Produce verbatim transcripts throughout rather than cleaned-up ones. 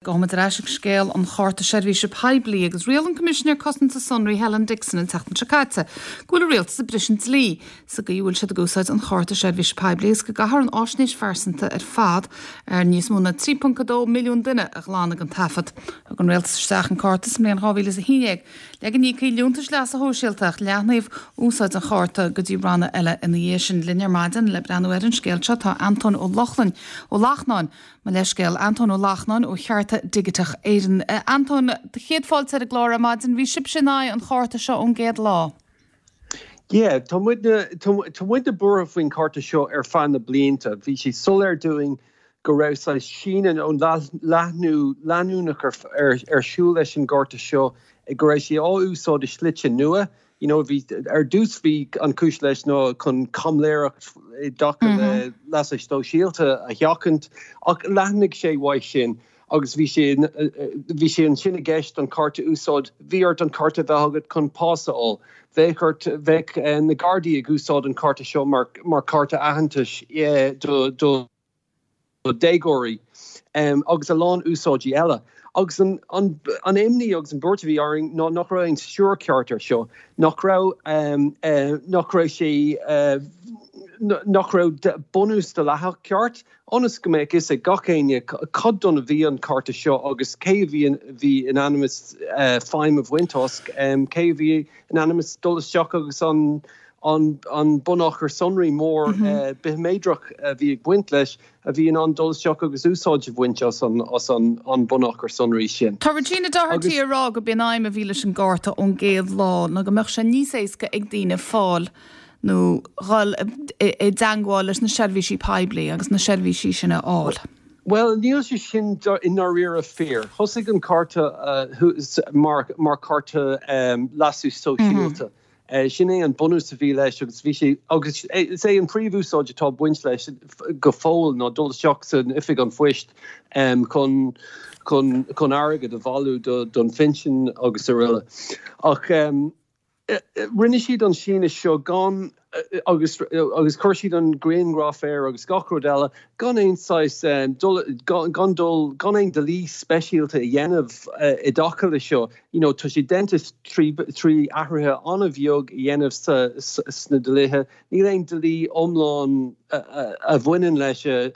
Gabhfaimid ar ais ag scéal an Chárta Seirbhíse Poiblí agus riail an Coimisinéir Cosanta Sonraí Helen Dixon an tseachtain seo caite go bhfuil an rialtas ag briseadh an dlí sa gcaoi a bhfuil siad ag úsáid an Chárta Seirbhíse Poiblí agus go gcaithfear an fhaisnéis phearsanta ar fad ar níos mó ná trí ponc a dó milliún duine a ghlanadh den taifead. Thug an rialtas isteach an cárta sa mbliain dhá mhíle is a haon déag le go n-íocfaí liúntais leasa shóisialta ach leathnaíodh úsáid an chárta go dtí ranna eile ina dhiaidh sin. Linn ar maidin le breathnú ar an scéal seo tá Antóin Ó Lochlainn Ó Lachtnáin Mo leithscéal, Antóin Ó Lachtnáin ó Chearta Digiteach Éireann. Antóin, céad fáilte ar an gclár ar maidin, bhí sibhse in aghaidh an chárta seo ón gcéad lá. Yeah, tá muidne tá muidne buartha faoin chárta seo ar feadh na blianta. Bhí sé soiléir dúinn go raibh saghas síneadh nó leathnú leanúnach ar ar ar siúl leis an gcárta seo, go raibh sé á úsáid i slite nua. You know, bhí ar dtús bhí an chúis leis ná chun caimiléireacht i dtaca le leasa sóisialta a sheachaint, ach leathnaigh sé uaidh sin agus bhí sé bhí sé ansin i gceist an cárta a úsáid, bhí ort an cárta a bheith agat chun pas a fháil, bheadh ort bheadh na Gardaí ag úsáid an cárta seo mar mar chárta aitheantais do do déagóirí agus a lán úsáidí eile. Agus an an an imní agus an buairt a bhí orainn ná nach raibh aon stiúir ceart air seo, nach raibh nach raibh sé nach raibh bunús dleathach ceart ionas go mbeadh fhios ag gach éinne cad dó a bhí an cárta seo agus cé a bhí bhí in ainm is feidhm a bhaint as, cé a bhí in ainm is dul isteach agus an an an bunachar sonraí mór bithiméadrach a bhí ag baint leis a bhí in ann dul isteach agus úsáid a bhaint as an as an an bunachar sonraí sin. Tá Regina Doherty ag rá gurb í an aidhm a bhí leis an gcárta ón gcéad lá ná go mbeadh sé níos éasca ag daoine fáil nó dhul i dteagmháil leis na seirbhísí poiblí agus na seirbhísí sin a fháil. Well, níl sé sin i ndáiríre fíor. Thosaigh an cárta mar mar chárta leasú sóisialta. Sin é an bunús a bhí leis agus bhí sé agus is é an príomhúsáid atá baint leis go fóill ná dul isteach san oifig an phoist chun chun chun airgead a bhailiú don phinsean agus araile. Ach rinne siad an síneadh seo gan agus agus chuir siad an grianghraf air agus gach rud eile gan aon saghas gan dul gan aon dlí speisialta a dhéanamh i dtaca leis seo. You know, tá sé déanta trí trí athruithe an-bheag a dhéanamh sna dlíthe. Níl aon dlí iomlán a bhaineann leis a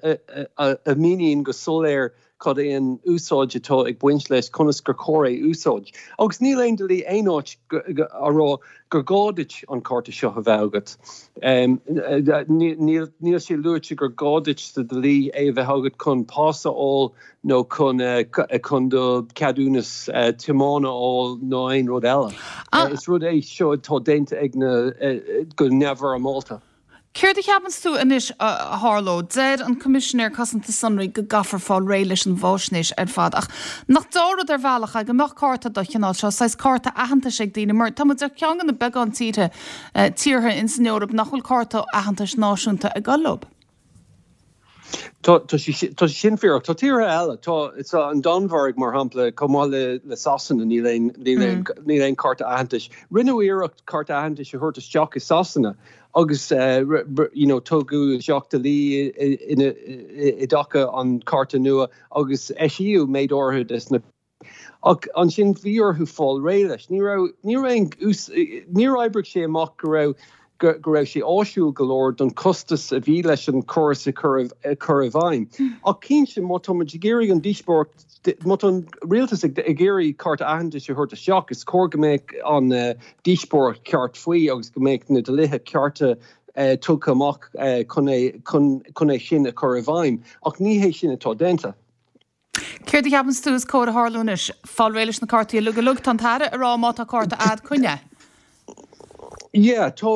a mhíníonn go soiléir cad é an úsáid atá ag baint leis conas gur chóir é úsáid. Agus níl aon dlí aon áit a rá gur gá duit an cárta seo a bheith agat. Níl sé luaite gur gá duit sa dlí é a bheith agat chun pas a fháil nó chun chun do cheadúnas tiomána a fháil nó aon rud eile. Is rud é seo atá déanta ag na go neamhfhoirmeálta. Céard a cheapann tú anois a tharlóidh? Deir an Coimisinéir Cosanta Sonraí go gcaithfear fáil réidh leis an bhfaisnéis ar fad ach nach dea-rud ar bhealach é go mbeadh cárta den chineál seo, saghas cárta aitheantais ag daoine mar tá muid ar cheann de na beagán tíortha tíortha in san Eoraip nach bhfuil cárta aitheantais náisiúnta ag dul leo. Tá tá sin fíor tá tíortha eile tá an Danmhairg mar shampla chomh maith le le Sasana níl aon níl aon cárta aitheantais. Rinneadh iarracht cárta aitheantais a thabhairt isteach i Sasana agus you know tugadh isteach dlí i dtaca an cárta nua agus eisíodh méid áirithe des na ach ansin bhí orthu fáil réidh leis. Ní raibh ní raibh níor oibrigh sé amach go raibh go raibh sé áisiúil go leor don costas a bhí leis an chóras a chur a chur i bhfeidhm. Ach cinnte má tá muid ag iarraidh an díospóireacht má tá an rialtas ag iarraidh cárta aitheantais a thabhairt isteach, is cóir go mbeadh an díospóireacht ceart faoi agus go mbeadh na dlíthe cearta tugtha amach chun é chun é sin a chur i bhfeidhm, ach ní hé sin atá déanta. Céard a cheapann tú is cóir a tharlú anois? Fáil réidh leis na cártaí uilig uilig tá an tAire ag rá má tá cárta agat coinnigh é. Yeah, tá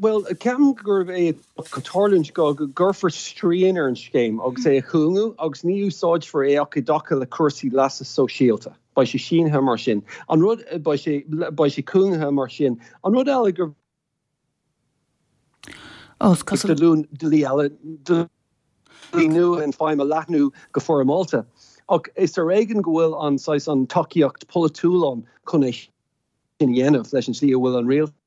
well ceapaim gurb é tarlúint go go gcuirfear srian ar an scéim agus é a chúngú agus ní úsáidfear é ach i dtaca le cúrsaí leasa sóisialta. Beidh sé sínithe mar sin. An rud beidh sé beidh sé cúngaithe mar sin. An rud eile gur Ó, is cosúil dlí eile dlí nua an feidhm a leathnú go foirmeálta. Ach is ar éigean go bhfuil an saghas an tacaíocht polaitiúil ann chun é sin a dhéanamh leis an slí a bhfuil an rialtas